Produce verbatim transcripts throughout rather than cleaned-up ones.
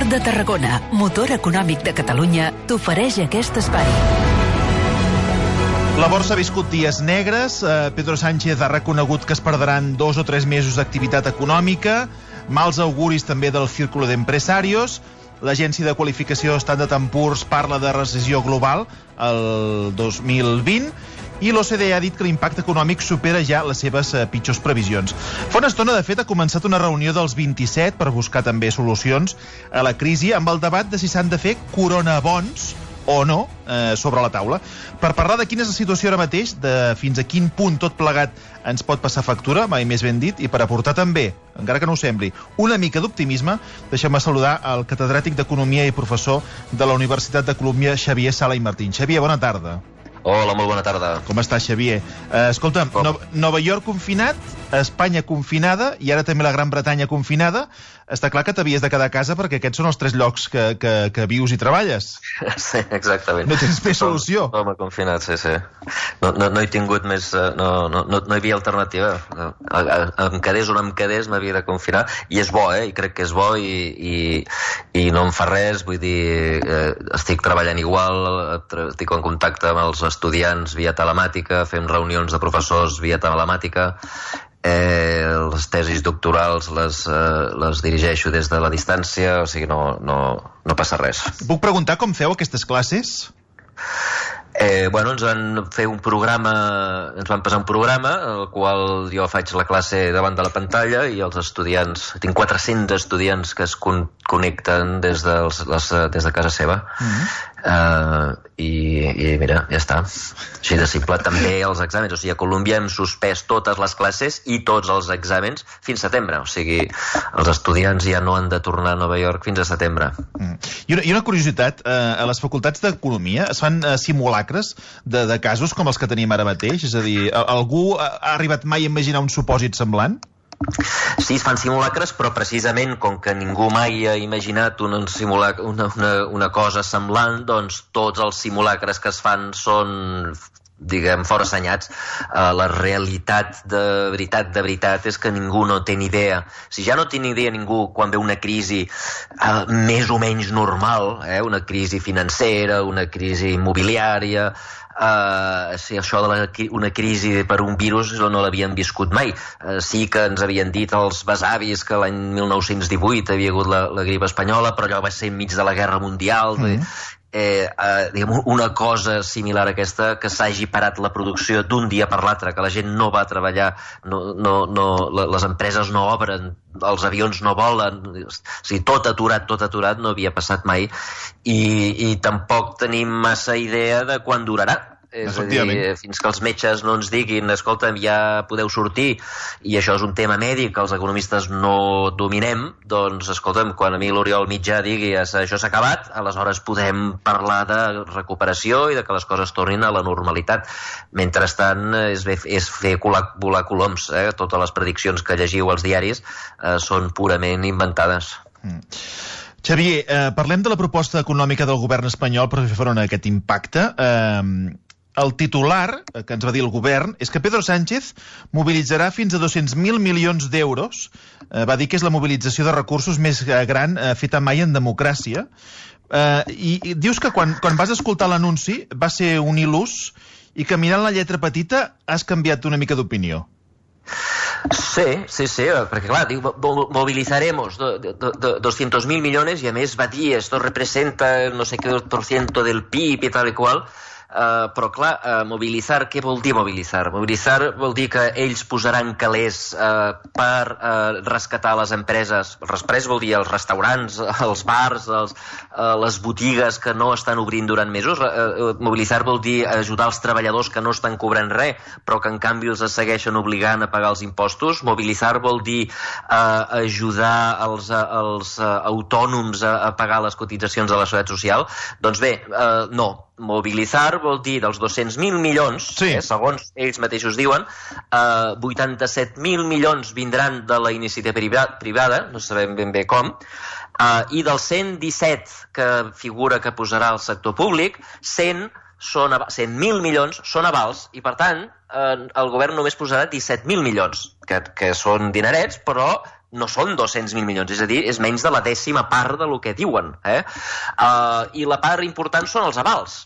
Port de Tarragona, motor econòmic de Catalunya, t'ofereix aquest espai. La borsa ha viscut dies negres. Pedro Sánchez ha reconegut que es perdran dos o tres mesos d'activitat econòmica. Mals auguris també del Círculo de Empresarios. L'agència de qualificació Standard and Poor's parla de recessió global el dos mil vint. I l'O C D E ha dit que l'impacte econòmic supera ja les seves eh, pitjors previsions. Fa una estona, de fet, ha començat una reunió dels vint-i-set per buscar també solucions a la crisi, amb el debat de si s'han de fer coronabons o no eh, sobre la taula. Per parlar de quina és la situació ara mateix, de fins a quin punt tot plegat ens pot passar factura, mai més ben dit, i per aportar també, encara que no ho sembli, una mica d'optimisme, deixem-me saludar el catedràtic d'Economia i professor de la Universitat de Colúmbia, Xavier Sala i Martín. Xavier, bona tarda. Hola, molt bona tarda. Com estàs, Xavier? Uh, escolta, no, Nova York confinat, Espanya confinada i ara també la Gran Bretanya confinada. Està clar que t'havies de quedar a casa perquè aquests són els tres llocs que, que, que vius i treballes. Sí, exactament. No tens més solució. Home, confinat, sí, sí. No, no, no he tingut més... No, no, no, no hi havia alternativa. Em quedés o no em quedés, m'havia de confinar. I és bo, eh? I crec que és bo i, i, i no em fa res. Vull dir, eh, estic treballant igual, estic en contacte amb els estudiants via telemàtica, fem reunions de professors via telemàtica. Eh, les tesis doctorals les, eh, les dirigeixo des de la distància, o sigui, no, no, no passa res. Puc preguntar com feu aquestes classes? Eh, bueno, ens van fer un programa, ens van passar un programa, el qual jo faig la classe davant de la pantalla i els estudiants, tinc quatre-cents estudiants que es con connecten des, dels, les, des de casa seva. Mm-hmm. Uh, i, i mira, ja està, així de simple. També els exàmens, o sigui, a Colúmbia hem suspès totes les classes i tots els exàmens fins setembre, o sigui, els estudiants ja no han de tornar a Nova York fins a setembre. Mm. I, una, I una curiositat, uh, a les facultats d'Economia es fan uh, simulacres de, de casos com els que tenim ara mateix? És a dir, algú ha arribat mai a imaginar un supòsit semblant? Sí, es fan simulacres, però precisament com que ningú mai ha imaginat una, una, una, una cosa semblant, doncs tots els simulacres que es fan són, diguem, forassenyats. Uh, la realitat de veritat, de veritat, és que ningú no té ni idea. Si ja no té ni idea ningú quan ve una crisi uh, més o menys normal, eh, una crisi financera, una crisi immobiliària... Uh, sí, això de la, una crisi per un virus no l'havien viscut mai. Uh, sí que ens havien dit els besavis que l'any mil nou-cents divuit havia hagut la, la grip espanyola, però allò va ser enmig de la Guerra Mundial. Mm. Eh, eh, diguem, una cosa similar a aquesta, que s'hagi parat la producció d'un dia per l'altre, que la gent no va a treballar, no, no, no, les empreses no obren, els avions no volen, o sigui, tot aturat, tot aturat, no havia passat mai, i, i tampoc tenim massa idea de quan durarà. És a dir, fins que els metges no ens diguin, escolta'm, ja podeu sortir, i això és un tema mèdic que els economistes no dominem, doncs, escolta'm, quan a mi l'Oriol Mitjà digui això s'ha acabat, aleshores podem parlar de recuperació i de que les coses tornin a la normalitat. Mentrestant, és, és fer volar coloms, eh? Totes les prediccions que llegiu als diaris eh, són purament inventades. Mm. Xavier, eh, parlem de la proposta econòmica del govern espanyol per fer front a aquest impacte. Eh, El titular que ens va dir el govern és que Pedro Sánchez mobilitzarà fins a dos-cents mil milions d'euros. Eh, va dir que és la mobilització de recursos més gran eh, feta mai en democràcia. Eh, i, I dius que quan, quan vas escoltar l'anunci va ser un il·lús i que mirant la lletra petita has canviat una mica d'opinió. Sí, sí, sí, perquè clar, diu, movilizaremos doscientos mil millones i a més va dir, esto representa no sé què por ciento del P I B i tal i qual. Uh, però clar, uh, mobilitzar, què vol dir mobilitzar? Mobilitzar vol dir que ells posaran calés uh, per uh, rescatar les empreses. Després vol dir els restaurants, els bars, els, uh, les botigues que no estan obrint durant mesos. Uh, uh, mobilitzar vol dir ajudar els treballadors que no estan cobrant res, però que en canvi els segueixen obligant a pagar els impostos. Mobilitzar vol dir uh, ajudar els, uh, els uh, autònoms a, a pagar les cotitzacions de la Seguretat Social. Doncs bé, uh, no. Mobilitzar vol dir dels dos-cents mil milions, sí. eh, segons ells mateixos diuen, eh, vuitanta-set mil milions vindran de la iniciativa privada, no sabem ben bé com, eh, i dels cent disset que figura que posarà el sector públic, cent són cent mil milions són avals i, per tant, eh, el govern només posarà disset mil milions, que, que són dinerets, però no són dos-cents mil milions, és a dir, és menys de la dècima part del que diuen. Eh? Uh, I la part important són els avals.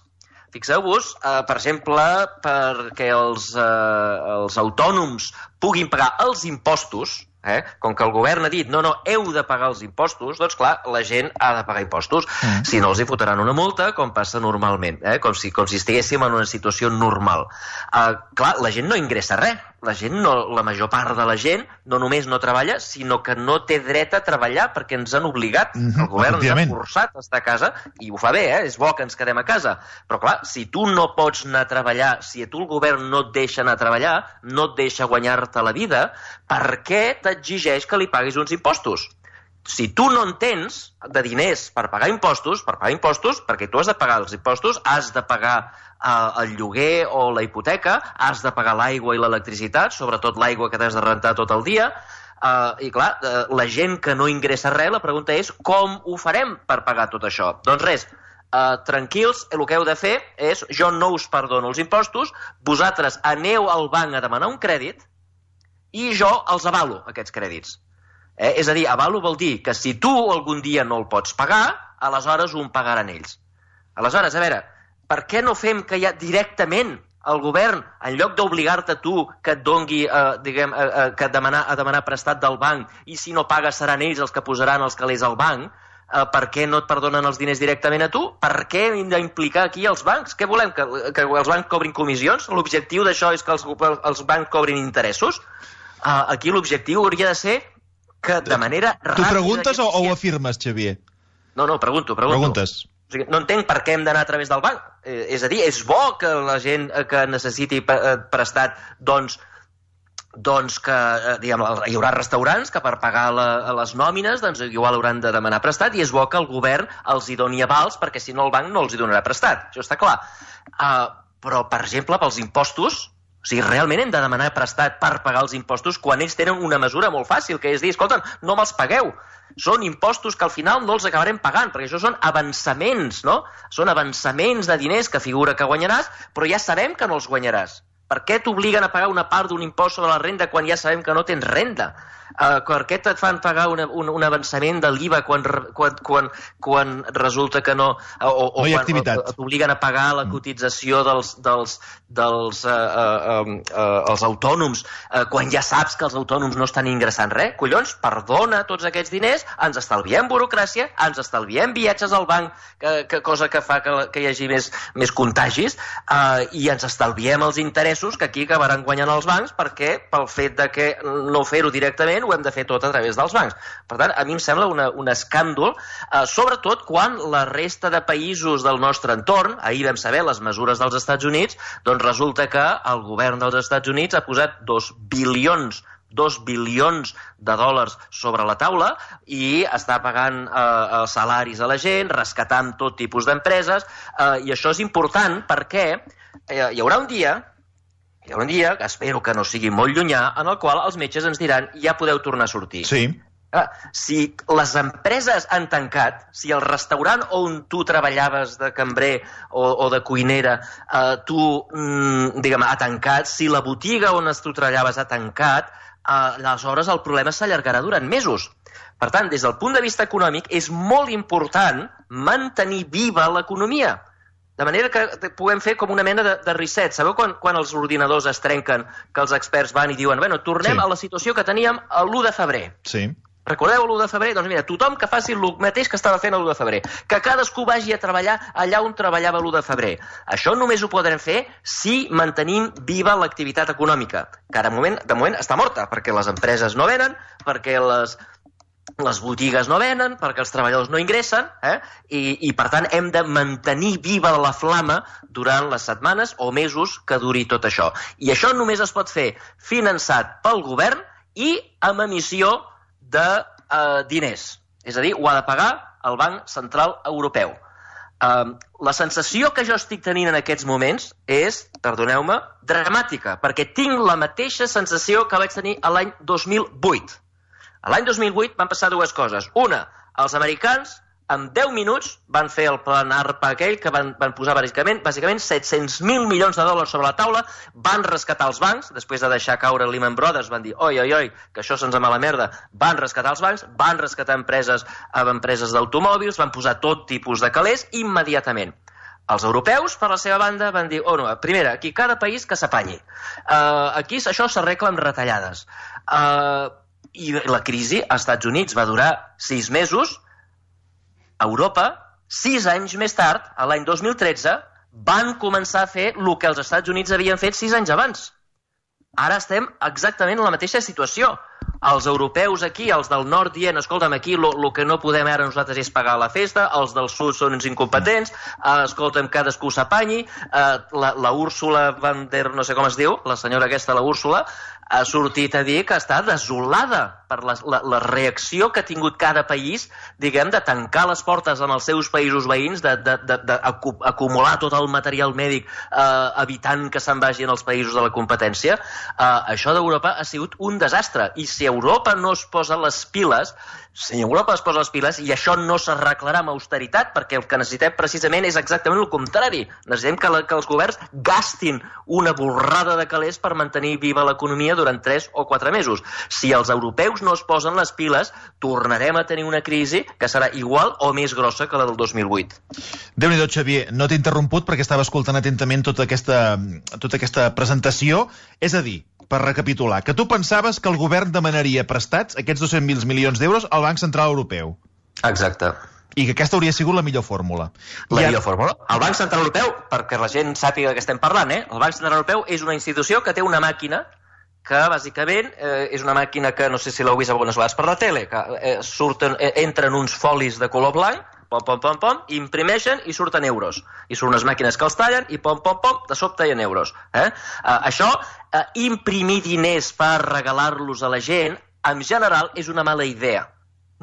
Fixeu-vos, uh, per exemple, perquè els, uh, els autònoms puguin pagar els impostos, eh? Com que el govern ha dit no, no, heu de pagar els impostos, doncs clar, la gent ha de pagar impostos. Mm. Si no, els hi fotran una multa, com passa normalment, eh? com, si, com si estiguéssim en una situació normal. Uh, clar, la gent no ingressa res. La gent, no, la major part de la gent, no només no treballa, sinó que no té dret a treballar perquè ens han obligat. Mm-hmm, el govern ens ha forçat a estar a casa, i ho fa bé, eh? És bo que ens quedem a casa. Però clar, si tu no pots anar a treballar, si a tu el govern no et deixa anar a treballar, no et deixa guanyar-te la vida, per què t'exigeix que li paguis uns impostos? Si tu no en tens de diners per pagar impostos, per pagar impostos, perquè tu has de pagar els impostos, has de pagar eh, el lloguer o la hipoteca, has de pagar l'aigua i l'electricitat, sobretot l'aigua que t'has de rentar tot el dia, eh, i clar, eh, la gent que no ingressa res, la pregunta és com ho farem per pagar tot això? Doncs res, Uh, tranquils, el que heu de fer és, jo no us perdono els impostos, vosaltres aneu al banc a demanar un crèdit i jo els avalo, aquests crèdits. Eh? És a dir, avalo vol dir que si tu algun dia no el pots pagar, aleshores ho pagaran ells. Aleshores, a veure, per què no fem que ja directament el govern, en lloc d'obligar-te a tu que et dongui, eh, diguem, eh, eh, que demanar, a demanar prestat del banc, i si no pagues seran ells els que posaran els calés al banc, Uh, per què no et perdonen els diners directament a tu? Per què hem d'implicar aquí els bancs? Què volem? Que, que els bancs cobrin comissions? L'objectiu d'això és que els, els bancs cobrin interessos? Uh, aquí l'objectiu hauria de ser que de manera ràpida... Tu preguntes o, o ho afirmes, Xavier? No, no, pregunto, pregunto. Preguntes. O sigui, no entenc per què hem d'anar a través del banc. Eh, és a dir, és bo que la gent que necessiti prestat, doncs, doncs que diguem, hi haurà restaurants que per pagar la, les nòmines doncs igual hauran de demanar prestat, i és bo que el govern els hi doni avals, perquè si no el banc no els hi donarà prestat, això està clar. Uh, però, per exemple, pels impostos, o sigui, realment hem de demanar prestat per pagar els impostos quan ells tenen una mesura molt fàcil, que és dir, escolta, no me'ls pagueu. Són impostos que al final no els acabarem pagant, perquè això són avançaments, no? Són avançaments de diners que figura que guanyaràs, però ja sabem que no els guanyaràs. Per què t'obliguen a pagar una part d'un impost sobre la renda quan ja sabem que no tens renda? Uh, per què et fan pagar una, un, un avançament de l'I V A quan, quan, quan, quan resulta que no... O, o, no hi ha quan activitat. t'obliguen a pagar la cotització dels, dels, dels uh, uh, uh, uh, els autònoms uh, quan ja saps que els autònoms no estan ingressant res? Collons, perdona tots aquests diners, ens estalviem burocràcia, ens estalviem viatges al banc, que, que cosa que fa que, que hi hagi més, més contagis, uh, i ens estalviem els interessos que aquí acabaran guanyant els bancs, perquè pel fet de que no fer-ho directament ho hem de fer tot a través dels bancs. Per tant, a mi em sembla una, un escàndol, eh, sobretot quan la resta de països del nostre entorn, ahir vam saber les mesures dels Estats Units, doncs resulta que el govern dels Estats Units ha posat dos bilions dos bilions de dòlars sobre la taula i està pagant eh, salaris a la gent, rescatant tot tipus d'empreses, eh, i això és important perquè eh, hi haurà un dia Hi ha un dia, que espero que no sigui molt llunyà, en el qual els metges ens diran ja podeu tornar a sortir. Sí. Ah, si les empreses han tancat, si el restaurant on tu treballaves de cambrer o, o de cuinera, eh, tu, mm, diguem, ha tancat, si la botiga on tu treballaves ha tancat, eh, aleshores el problema s'allargarà durant mesos. Per tant, des del punt de vista econòmic, és molt important mantenir viva l'economia. De manera que puguem fer com una mena de, de reset. Sabeu quan, quan els ordinadors es trenquen, que els experts van i diuen bueno, tornem sí. a la situació que teníem l'u de febrer. Sí. Recordeu l'u de febrer? Doncs mira, tothom que faci el mateix que estava fent l'u de febrer. Que cadascú vagi a treballar allà on treballava l'u de febrer. Això només ho podrem fer si mantenim viva l'activitat econòmica, que de moment, de moment està morta, perquè les empreses no venen, perquè les... les botigues no venen, perquè els treballadors no ingressen, eh? I, i per tant hem de mantenir viva la flama durant les setmanes o mesos que duri tot això. I això només es pot fer finançat pel govern i amb emissió de eh, diners. És a dir, ho ha de pagar el Banc Central Europeu. Eh, la sensació que jo estic tenint en aquests moments és, perdoneu-me, dramàtica, perquè tinc la mateixa sensació que vaig tenir l'any dos mil vuit. A l'any dos mil vuit van passar dues coses. Una, els americans en deu minuts van fer el plan ARPA aquell que van, van posar bàsicament, bàsicament set-cents mil milions de dòlars sobre la taula, van rescatar els bancs, després de deixar caure Lehman Brothers, van dir, oi, oi, oi, que això se'ns va a la merda, van rescatar els bancs, van rescatar empreses amb empreses d'automòbils, van posar tot tipus de calés immediatament. Els europeus, per la seva banda, van dir, oh no, primera, aquí cada país que s'apanyi. Uh, aquí això s'arregla amb retallades. Uh, I la crisi als Estats Units va durar sis mesos. A Europa, sis anys més tard, a l'any dos mil tretze, van començar a fer el que els Estats Units havien fet sis anys abans. Ara estem exactament en la mateixa situació. Els europeus aquí, els del nord dient, escolta'm, aquí el que no podem ara nosaltres és pagar la festa, els del sud són uns incompetents, eh, escolta'm, cadascú s'apanyi, eh, la, la Úrsula van der, no sé com es diu, la senyora aquesta, la Úrsula, ha sortit a dir que està desolada per la, la, la reacció que ha tingut cada país, diguem, de tancar les portes en els seus països veïns, d'acumular tot el material mèdic eh, evitant que se'n vagi en els països de la competència. Eh, això d'Europa ha sigut un desastre. I si Europa no es posa les piles, si Europa es posa les piles, i això no s'arreglarà amb austeritat, perquè el que necessitem precisament és exactament el contrari. Necessitem que, la, que els governs gastin una borrada de calés per mantenir viva l'economia durant tres o quatre mesos. Si els europeus no es posen les piles, tornarem a tenir una crisi que serà igual o més grossa que la del dos mil vuit. Déu-n'hi-do, Xavier, no t'he interromput perquè estava escoltant atentament tota aquesta, tota aquesta presentació. És a dir, per recapitular, que tu pensaves que el govern demanaria prestats aquests dos-cents mil milions d'euros al Banc Central Europeu. Exacte. I que aquesta hauria sigut la millor fórmula. La I millor ara... fórmula. El Banc Central Europeu, perquè la gent sàpiga que estem parlant, eh? el Banc Central Europeu és una institució que té una màquina que, bàsicament, eh, és una màquina que, no sé si l'heu vist algunes vegades per la tele, que eh, surten, eh, entren uns folis de color blanc, pom, pom, pom, pom, imprimeixen i surten euros. I són unes màquines que els tallen i pom, pom, pom, de sobte hi ha euros. Eh? Uh, això, uh, imprimir diners per regalar-los a la gent, en general, és una mala idea.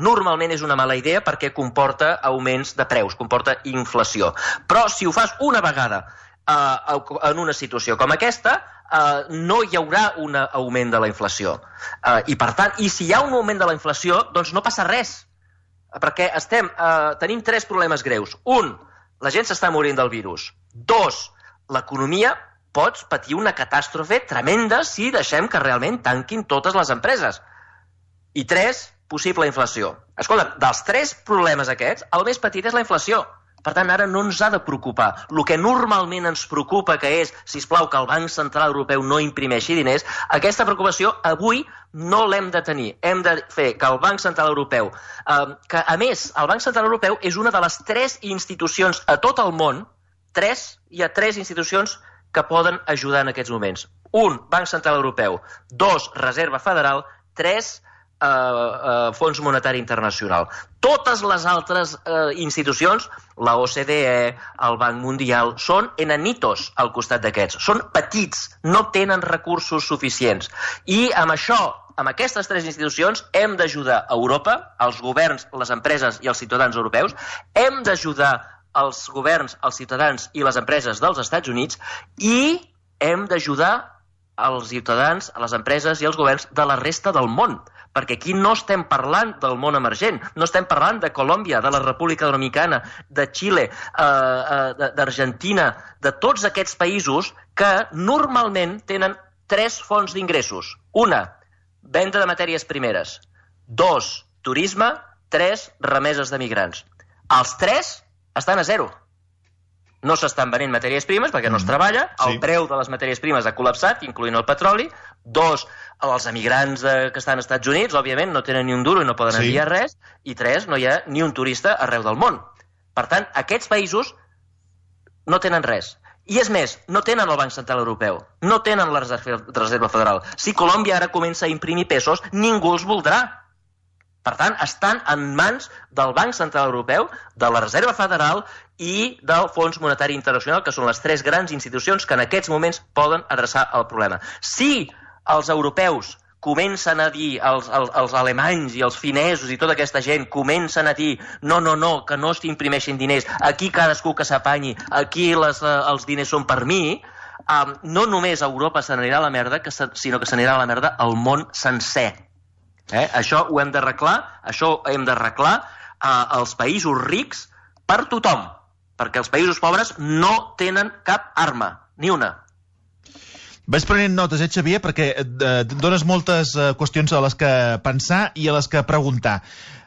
Normalment és una mala idea perquè comporta augments de preus, comporta inflació. Però si ho fas una vegada uh, en una situació com aquesta, uh, no hi haurà un augment de la inflació. Uh, I per tant, i si hi ha un augment de la inflació, doncs no passa res. Perquè estem, eh, tenim tres problemes greus. Un, la gent s'està morint del virus. Dos, l'economia pot patir una catàstrofe tremenda si deixem que realment tanquin totes les empreses. I tres, possible inflació. Escolta, dels tres problemes aquests, el més petit és la inflació. Per tant, ara no ens ha de preocupar. El que normalment ens preocupa, que és, sisplau, que el Banc Central Europeu no imprimeixi diners, aquesta preocupació avui no l'hem de tenir. Hem de fer que el Banc Central Europeu, eh, que a més, el Banc Central Europeu és una de les tres institucions a tot el món, tres, hi ha tres institucions que poden ajudar en aquests moments. Un, Banc Central Europeu. Dos, Reserva Federal. Tres, Uh, uh, Fons Monetari Internacional. Totes les altres uh, institucions, la O C D E, el Banc Mundial, són enanitos al costat d'aquests. Són petits, no tenen recursos suficients. I amb això, amb aquestes tres institucions, hem d'ajudar a Europa, els governs, les empreses i els ciutadans europeus, hem d'ajudar els governs, els ciutadans i les empreses dels Estats Units i hem d'ajudar els ciutadans, les empreses i els governs de la resta del món. Perquè aquí no estem parlant del món emergent, no estem parlant de Colòmbia, de la República Dominicana, de Xile, eh, eh, d'Argentina, de tots aquests països que normalment tenen tres fonts d'ingressos. Una, venda de matèries primeres. Dos, turisme. Tres, remeses de migrants. Els tres estan a zero. No s'estan venent matèries primes perquè no es treballa, el preu de les matèries primes ha col·lapsat, incloent el petroli. Dos, els emigrants de, que estan als Estats Units, òbviament, no tenen ni un duro i no poden sí. enviar res. I tres, no hi ha ni un turista arreu del món. Per tant, aquests països no tenen res. I és més, no tenen el Banc Central Europeu, no tenen la Reserva Federal. Si Colòmbia ara comença a imprimir pesos, ningú els voldrà. Per tant, estan en mans del Banc Central Europeu, de la Reserva Federal i del Fons Monetari Internacional, que són les tres grans institucions que en aquests moments poden adreçar el problema. Si els europeus comencen a dir, els, els, els alemanys i els finesos i tota aquesta gent comencen a dir no, no, no, que no s'imprimeixin diners, aquí cadascú que s'apanyi, aquí les, els diners són per mi, um, no només Europa se n'anirà a la merda, que se, sinó que se n'anirà a la merda el món sencer. Eh? Això ho hem d'arreglar, això ho hem d'arreglar. uh, els països rics per tothom, perquè els països pobres no tenen cap arma, ni una. Vaig prenent notes, eh, Xavier, perquè eh, dones moltes eh, qüestions a les que pensar i a les que preguntar.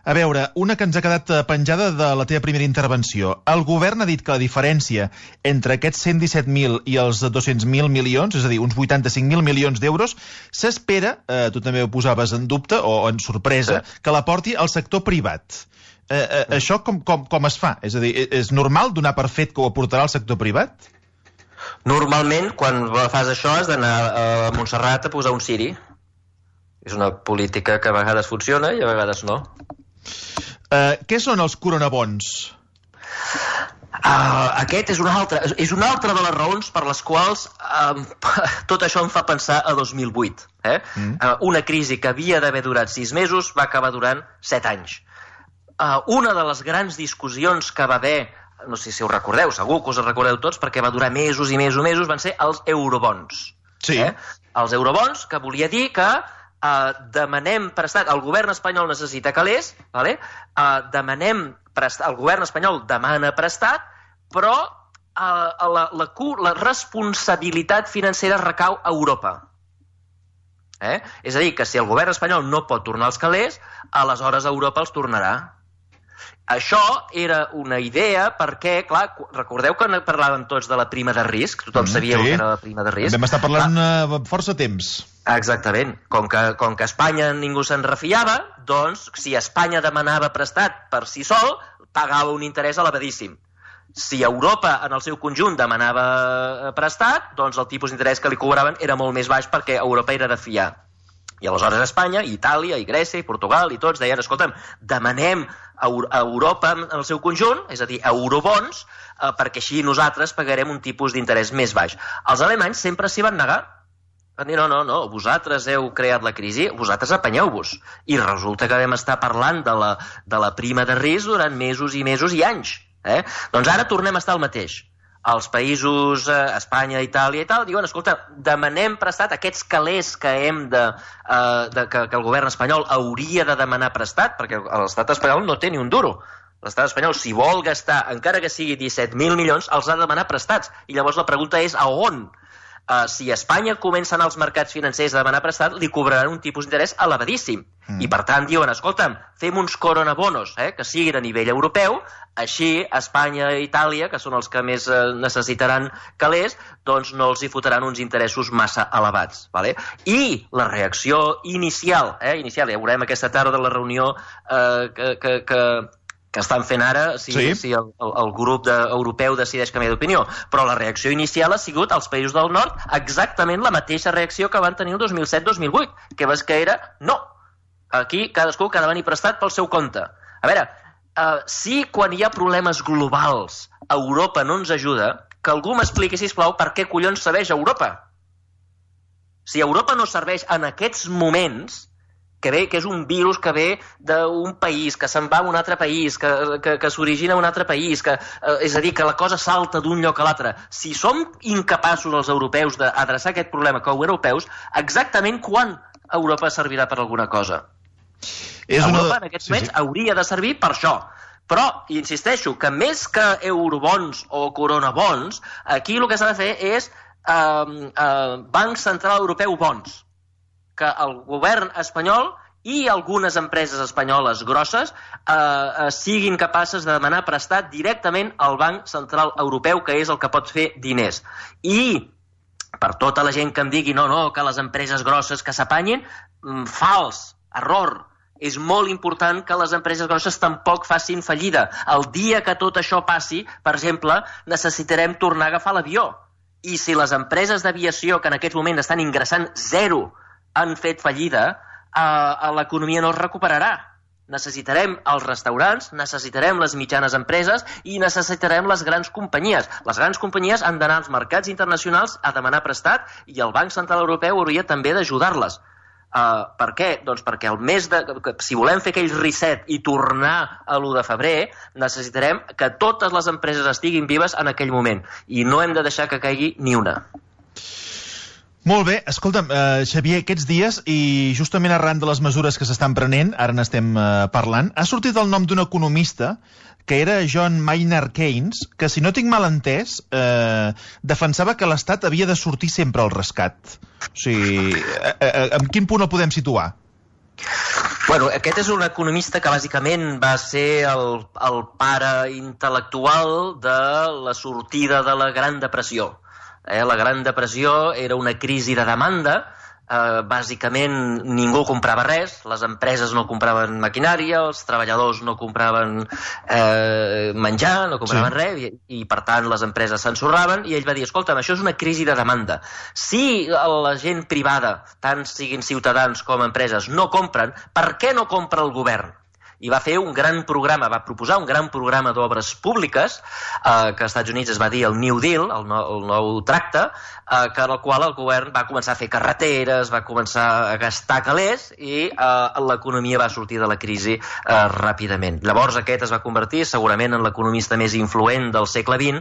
A veure, una que ens ha quedat penjada de la teva primera intervenció. El govern ha dit que la diferència entre aquests cent disset mil i els dos-cents mil milions, és a dir, uns vuitanta-cinc mil milions d'euros, s'espera, eh, tu també ho posaves en dubte o en sorpresa, sí, que l'aporti al sector privat. Eh, eh, això com, com, com es fa? És a dir, és normal donar per fet que ho aportarà al sector privat? Normalment, quan fas això, has d'anar a Montserrat a posar un ciri. És una política que a vegades funciona i a vegades no. Uh, què són els coronabons? Uh, aquest és una altra, és una altra de les raons per les quals um, tot això em fa pensar a dos mil vuit. Eh? Mm. Uh, una crisi que havia d'haver durat sis mesos va acabar durant set anys. Uh, una de les grans discussions que va haver, no sé si ho recordeu, segur que us ho recordeu tots, perquè va durar mesos i mesos i mesos, van ser els eurobons. Sí. Eh? Els eurobons, que volia dir que uh, demanem prestat, el govern espanyol necessita calés, vale? uh, demanem prestat, el govern espanyol demana prestat, però uh, la, la, la responsabilitat financera recau a Europa. Eh? És a dir, que si el govern espanyol no pot tornar els calés, aleshores Europa els tornarà. Això era una idea perquè, clar, recordeu que parlàvem tots de la prima de risc? Tothom mm, sabia sí. que era la prima de risc. Vam estar parlant ah. força temps. Exactament. Com que, com que a Espanya ningú se'n refiava, doncs, si Espanya demanava prestat per si sol, pagava un interès elevadíssim. Si Europa, en el seu conjunt, demanava prestat, doncs el tipus d'interès que li cobraven era molt més baix perquè Europa era de fiar. I aleshores Espanya, i Itàlia, i Grècia, i Portugal, i tots deien, escolta'm, demanem a Europa en el seu conjunt, és a dir, eurobons, eh, perquè així nosaltres pagarem un tipus d'interès més baix. Els alemanys sempre s'hi van negar. Van dir, no, no, no, vosaltres heu creat la crisi, vosaltres apanyeu-vos. I resulta que vam estar parlant de la, de la prima de risc durant mesos i mesos i anys. Eh? Doncs ara tornem a estar al mateix. Els països, eh, Espanya, Itàlia i tal, diuen, escolta, demanem prestat aquests calés que hem de, eh, de que, que el govern espanyol hauria de demanar prestat, perquè l'estat espanyol no té ni un duro. L'estat espanyol, si vol gastar, encara que sigui disset mil milions, els ha de demanar prestats. I llavors la pregunta és, a on? Uh, si Espanya comença a anar als mercats financers a demanar prestat, li cobraran un tipus d'interès elevadíssim. Mm. I per tant diuen, escolta'm, fem uns coronabonos, eh, que siguin a nivell europeu, així Espanya i Itàlia, que són els que més eh, necessitaran calés, doncs no els hi fotran uns interessos massa elevats. Vale? I la reacció inicial, eh, inicial, ja veurem aquesta tarda de la reunió eh, que... que, que que estan fent ara, si, sí. si el, el, el grup de, europeu decideix canviar d'opinió. Però la reacció inicial ha sigut als països del nord exactament la mateixa reacció que van tenir el dos mil set dos mil vuit, que vas que era no. Aquí cadascú que ha de venir prestat pel seu compte. A veure, uh, si quan hi ha problemes globals Europa no ens ajuda, que algú m'expliqui, sisplau, per què collons serveix Europa? Si Europa no serveix en aquests moments, que ve, que és un virus que ve d'un país, que se'n va a un altre país, que, que, que s'origina a un altre país, que, eh, és a dir, que la cosa salta d'un lloc a l'altre. Si som incapaços els europeus d'adreçar aquest problema com a europeus, exactament quan Europa servirà per alguna cosa? És Europa una... en aquests moments sí, sí. hauria de servir per això. Però, insisteixo, que més que eurobons o coronabons, aquí el que s'ha de fer és eh, eh, Banc Central Europeu bons, que el govern espanyol i algunes empreses espanyoles grosses eh, eh, siguin capaces de demanar prestat directament al Banc Central Europeu, que és el que pot fer diners. I per tota la gent que em digui no, no, que les empreses grosses que s'apanyin, fals, error. És molt important que les empreses grosses tampoc facin fallida. El dia que tot això passi, per exemple, necessitarem tornar a agafar l'avió. I si les empreses d'aviació que en aquest moment estan ingressant zero han fet fallida, eh, l'economia no es recuperarà. Necessitarem els restaurants, necessitarem les mitjanes empreses i necessitarem les grans companyies. Les grans companyies han d'anar als mercats internacionals a demanar prestat i el Banc Central Europeu hauria també d'ajudar-les. Uh, per què? Doncs perquè el mes de... si volem fer aquell reset i tornar a l'u de febrer, necessitarem que totes les empreses estiguin vives en aquell moment i no hem de deixar que caigui ni una. Molt bé, escolta'm, eh, Xavier, aquests dies, i justament arran de les mesures que s'estan prenent, ara n'estem eh, parlant, ha sortit el nom d'un economista que era John Maynard Keynes, que, si no tinc mal entès, eh, defensava que l'Estat havia de sortir sempre al rescat. O sigui, eh, eh, en quin punt el podem situar? Bueno, aquest és un economista que bàsicament va ser el, el pare intel·lectual de la sortida de la Gran Depressió. Eh, la Gran Depressió era una crisi de demanda. Uh, bàsicament ningú comprava res, les empreses no compraven maquinària, els treballadors no compraven eh, menjar, no compraven sí. res, i, i per tant les empreses s'ensorraven, i ell va dir, escolta'm, això és una crisi de demanda. Si la gent privada, tant siguin ciutadans com empreses, no compren, per què no compra el govern? I va fer un gran programa, va proposar un gran programa d'obres públiques, eh, que als Estats Units es va dir el New Deal, el, no, el nou tracte, eh, que en el qual el govern va començar a fer carreteres, va començar a gastar calés, i eh, l'economia va sortir de la crisi eh, ràpidament. Llavors aquest es va convertir segurament en l'economista més influent del segle vint,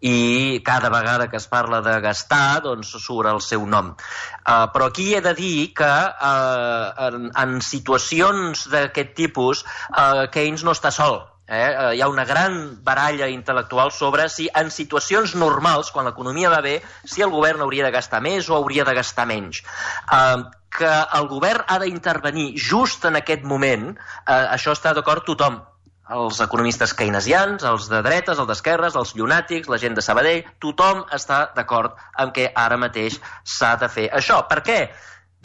i cada vegada que es parla de gastar, doncs surt el seu nom. Eh, però aquí he de dir que eh, en, en situacions d'aquest tipus Uh, Keynes no està sol. Eh? Uh, hi ha una gran baralla intel·lectual sobre si en situacions normals, quan l'economia va bé, si el govern hauria de gastar més o hauria de gastar menys. Uh, que el govern ha d'intervenir just en aquest moment, uh, això està d'acord tothom. Els economistes keynesians, els de dretes, els d'esquerres, els llunàtics, la gent de Sabadell, tothom està d'acord amb que ara mateix s'ha de fer això. Per què?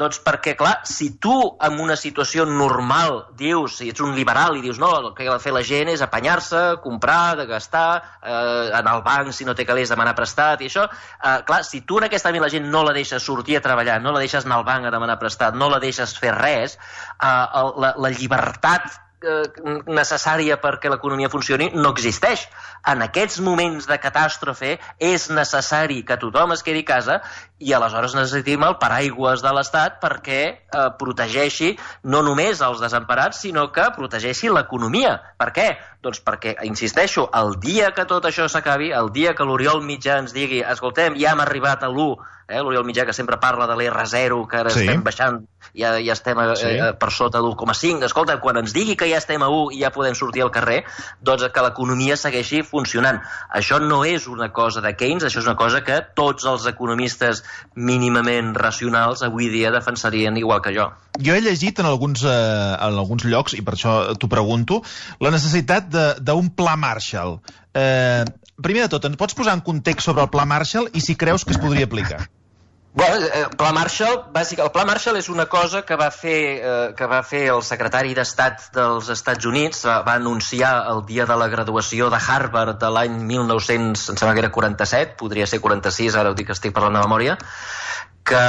Doncs perquè, clar, si tu en una situació normal dius, si ets un liberal i dius no, el que ha de fer la gent és apanyar-se, comprar, de gastar, eh, anar al banc si no té calés, demanar prestat i això, eh, clar, si tu en aquest àmbit la gent no la deixes sortir a treballar, no la deixes anar al banc a demanar prestat, no la deixes fer res, eh, la, la llibertat necessària perquè l'economia funcioni no existeix. En aquests moments de catàstrofe és necessari que tothom es quedi a casa, i aleshores necessitem el paraigües de l'Estat perquè eh, protegeixi no només els desemparats, sinó que protegeixi l'economia. Per què? Doncs perquè, insisteixo, el dia que tot això s'acabi, el dia que l'Oriol Mitjà ens digui, escoltem, ja hem arribat a l'u, eh, l'Oriol Mitjà que sempre parla de l'R zero, que ara sí. estem baixant, ja, ja estem a, sí. eh, per sota l'u coma cinc, escolta, quan ens digui que ja estem a u i ja podem sortir al carrer, doncs que l'economia segueixi funcionant. Això no és una cosa de Keynes, això és una cosa que tots els economistes mínimament racionals avui dia defensarien igual que jo. Jo he llegit en alguns, eh, en alguns llocs, i per això t'ho pregunto, la necessitat d'un pla Marshall. Eh, primer de tot, ens pots posar en context sobre el pla Marshall i si creus que es podria aplicar? Bueno, el pla Marshall, bàsic, el pla Marshall és una cosa que va fer, eh, que va fer el secretari d'Estat dels Estats Units, va anunciar el dia de la graduació de Harvard de l'any mil nou-cents, em sembla que era quaranta-set, podria ser quaranta-sis, ara ho dic que estic parlant de memòria, que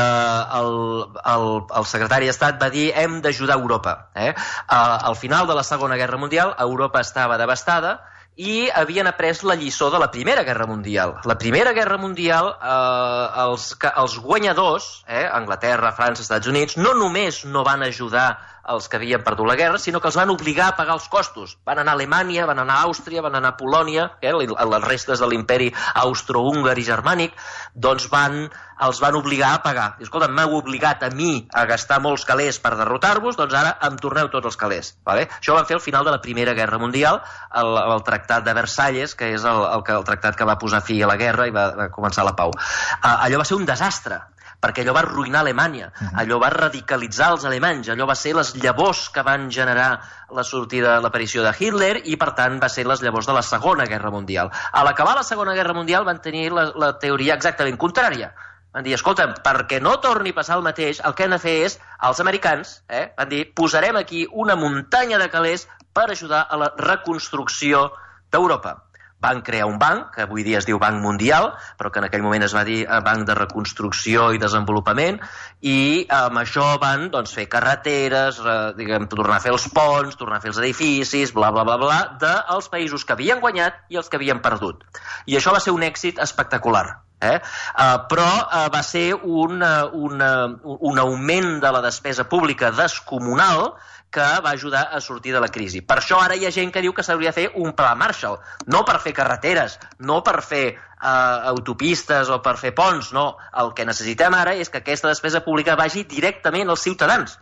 el, el, el secretari d'Estat va dir hem d'ajudar Europa. Eh? Al final de la Segona Guerra Mundial, Europa estava devastada i havien après la lliçó de la Primera Guerra Mundial. La Primera Guerra Mundial, eh, els, els guanyadors, eh, Anglaterra, França, Estats Units, no només no van ajudar els que havien perdut la guerra, sinó que els van obligar a pagar els costos. Van anar a Alemanya, van anar a Àustria, van anar a Polònia, eh, les restes de l'imperi austro-húngar i germànic, doncs van, els van obligar a pagar. I, escolta, m'heu obligat a mi a gastar molts calés per derrotar-vos, doncs ara em torneu tots els calés. Vale? Això ho van fer al final de la Primera Guerra Mundial, el, el Tractat de Versalles, que és el, el, el tractat que va posar fi a la guerra i va, va començar la pau. Uh, allò va ser un desastre, perquè allò va arruïnar Alemanya, allò va radicalitzar els alemanys, allò va ser les llavors que van generar la sortida, l'aparició de Hitler, i per tant va ser les llavors de la Segona Guerra Mundial. A l'acabar la Segona Guerra Mundial van tenir la, la teoria exactament contrària. Van dir, escolta'm, perquè no torni a passar el mateix, el que han de fer és, els americans, eh, van dir, posarem aquí una muntanya de calés per ajudar a la reconstrucció d'Europa. Van crear un banc, que avui dia es diu Banc Mundial, però que en aquell moment es va dir Banc de Reconstrucció i Desenvolupament, i amb això van doncs, fer carreteres, eh, diguem, tornar a fer els ponts, tornar a fer els edificis, bla, bla, bla, bla, dels països que havien guanyat i els que havien perdut. I això va ser un èxit espectacular. Eh? Uh, però uh, va ser un, uh, un, uh, un augment de la despesa pública descomunal que va ajudar a sortir de la crisi. Per això ara hi ha gent que diu que s'hauria de fer un pla Marshall, no per fer carreteres, no per fer uh, autopistes o per fer ponts, no. El que necessitem ara és que aquesta despesa pública vagi directament als ciutadans.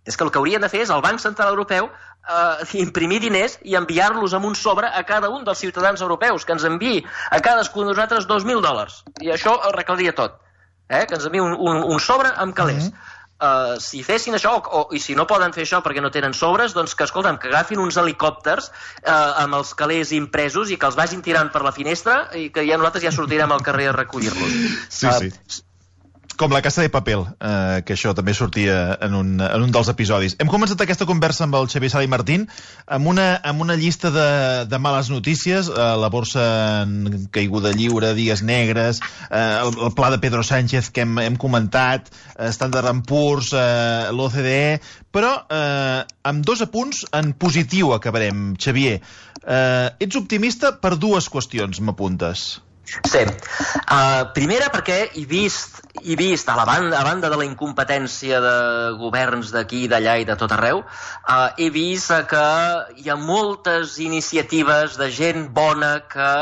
És que el que haurien de fer és el Banc Central Europeu uh, imprimir diners i enviar-los amb un sobre a cada un dels ciutadans europeus, que ens enviï a cadascun de nosaltres dos mil dòlars. I això ho arreglaria tot. Eh? Que ens enviï un, un, un sobre amb calés. Mm-hmm. Uh, si fessin això, o, i si no poden fer això perquè no tenen sobres, doncs que, escolta'm, que agafin uns helicòpters uh, amb els calés impresos i que els vagin tirant per la finestra i que ja nosaltres ja sortirem al carrer a recollir-los. Sí, uh, sí. Com la Casa de Papel, eh, que això també sortia en un, en un dels episodis. Hem començat aquesta conversa amb el Xavier Sala i Martín amb una, amb una llista de, de males notícies, eh, la borsa en caiguda lliure, dies negres, eh, el, el pla de Pedro Sánchez que hem, hem comentat, eh, Standard and Poor's, eh, l'O C D E, però eh, amb dos apunts en positiu acabarem, Xavier. Eh, ets optimista per dues qüestions, m'apuntes. Sí. Uh, primera perquè he vist, he vist a, la banda, a banda de la incompetència de governs d'aquí, d'allà i de tot arreu, uh, he vist que hi ha moltes iniciatives de gent bona que...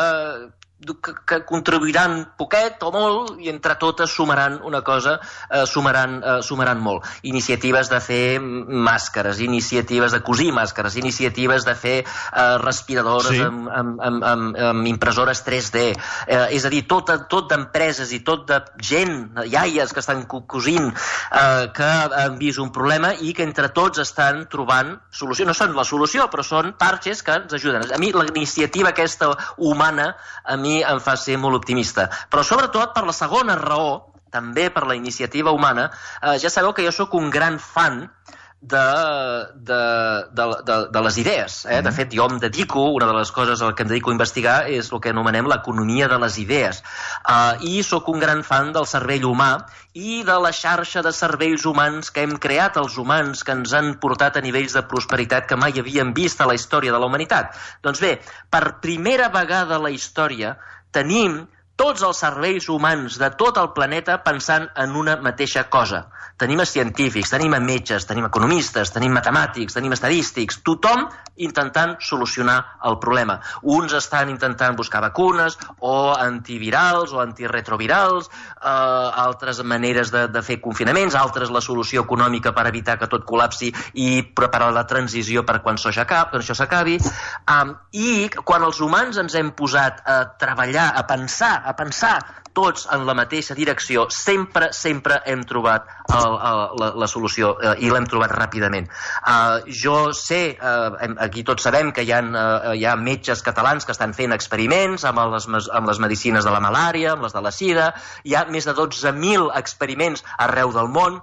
Que, que contribuiran poquet o molt i entre totes sumaran una cosa, eh, sumaran, eh, sumaran molt. Iniciatives de fer màscares, iniciatives de cosir màscares, iniciatives de fer eh, respiradores sí. amb, amb, amb, amb, amb impressores tres D. Eh, és a dir, tot, tot d'empreses i tot de gent, iaies que estan cosint, eh, que han vist un problema i que entre tots estan trobant solució. No són la solució, però són parxes que ens ajuden. A mi la iniciativa aquesta humana, a mi em fa ser molt optimista. Però sobretot per la segona raó, també per la iniciativa humana, eh, ja sabeu que jo sóc un gran fan de, de, de, de, de les idees. Eh? De fet, jo em dedico, una de les coses a què em dedico a investigar és el que anomenem l'economia de les idees. Uh, I sóc un gran fan del cervell humà i de la xarxa de cervells humans que hem creat els humans, que ens han portat a nivells de prosperitat que mai havíem vist a la història de la humanitat. Doncs bé, per primera vegada a la història tenim tots els cervells humans de tot el planeta pensant en una mateixa cosa. Tenim a científics, tenim a metges, tenim economistes, tenim matemàtics, tenim estadístics, tothom intentant solucionar el problema. Uns estan intentant buscar vacunes o antivirals o antiretrovirals, eh, altres maneres de, de fer confinaments, altres la solució econòmica per evitar que tot col·lapsi i preparar la transició per quan això s'acabi. Um, I quan els humans ens hem posat a treballar, a pensar, a pensar tots en la mateixa direcció, sempre, sempre hem trobat el, el, la, la solució eh, i l'hem trobat ràpidament. Uh, jo sé, uh, aquí tots sabem que hi ha, uh, hi ha metges catalans que estan fent experiments amb les, amb les medicines de la malària, amb les de la sida, hi ha més de dotze mil experiments arreu del món.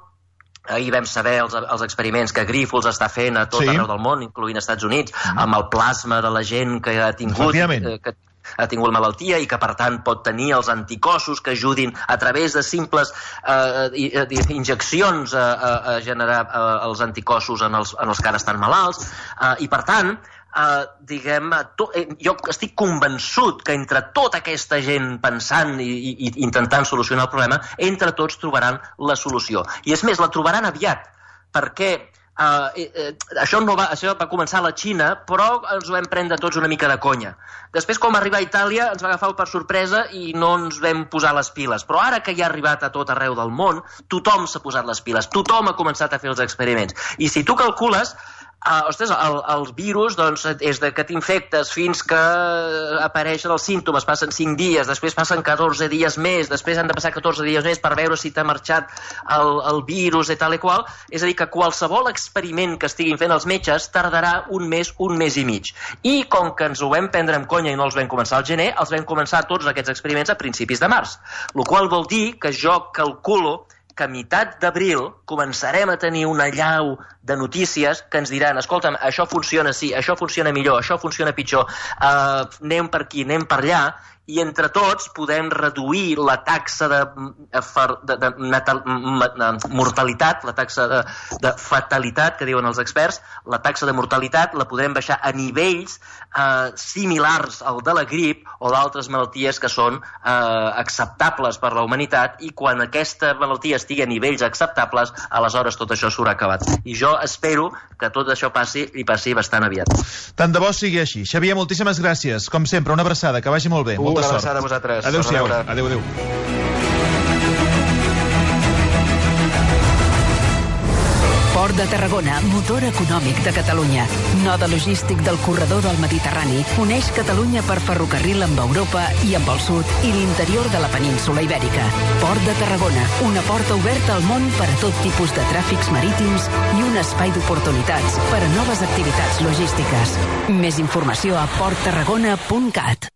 Ahir vam saber els, els experiments que Grifols està fent a tot sí. arreu del món, incloent als Estats Units, mm. amb el plasma de la gent que ha tingut... Eh, que, ha tingut malaltia i que per tant pot tenir els anticossos que ajudin a través de simples eh, injeccions a, a, a generar eh, els anticossos en els, en els que ara estan malalts eh, i per tant eh, diguem, to, eh, jo estic convençut que entre tota aquesta gent pensant i, i, i intentant solucionar el problema, entre tots trobaran la solució i és més, la trobaran aviat perquè Uh, eh, eh, això, no va, això va començar a la Xina, però ens ho vam prendre tots una mica de conya. Després, com va arribar a Itàlia, ens va agafar per sorpresa i no ens vam posar les piles. Però ara que ja ha arribat a tot arreu del món, tothom s'ha posat les piles, tothom ha començat a fer els experiments. I si tu calcules, Uh, ostres, el, el virus doncs, és de que t'infectes fins que apareixen els símptomes, passen cinc dies, després passen catorze dies més, després han de passar catorze dies més per veure si t'ha marxat el, el virus i tal i qual. És a dir, que qualsevol experiment que estiguin fent els metges tardarà un mes, un mes i mig. I com que ens ho vam prendre amb conya i no els vam començar al gener, els vam començar tots aquests experiments a principis de març. El qual vol dir que jo calculo que a meitat d'abril començarem a tenir una allau de notícies que ens diran, escolta'm, això funciona sí, això funciona millor, això funciona pitjor, uh, anem per aquí, anem per allà, i entre tots podem reduir la taxa de, de, de, natal, de mortalitat, la taxa de, de fatalitat, que diuen els experts, la taxa de mortalitat la podrem baixar a nivells eh, similars al de la grip o d'altres malalties que són eh, acceptables per la humanitat, i quan aquesta malaltia estigui a nivells acceptables, aleshores tot això s'haurà acabat. I jo espero que tot això passi i passi bastant aviat. Tant de bo sigui així. Xavier, moltíssimes gràcies. Com sempre, una abraçada, que vagi molt bé. Uh, Molta una sort. abraçada a vosaltres. Adéu-siau. Adéu, adéu. Port de Tarragona, motor econòmic de Catalunya. Node logístic del corredor del Mediterrani, uneix Catalunya per ferrocarril amb Europa i amb el sud i l'interior de la península Ibèrica. Port de Tarragona, una porta oberta al món per a tot tipus de tràfics marítims i un espai d'oportunitats per a noves activitats logístiques. Més informació a port tarragona punt cat.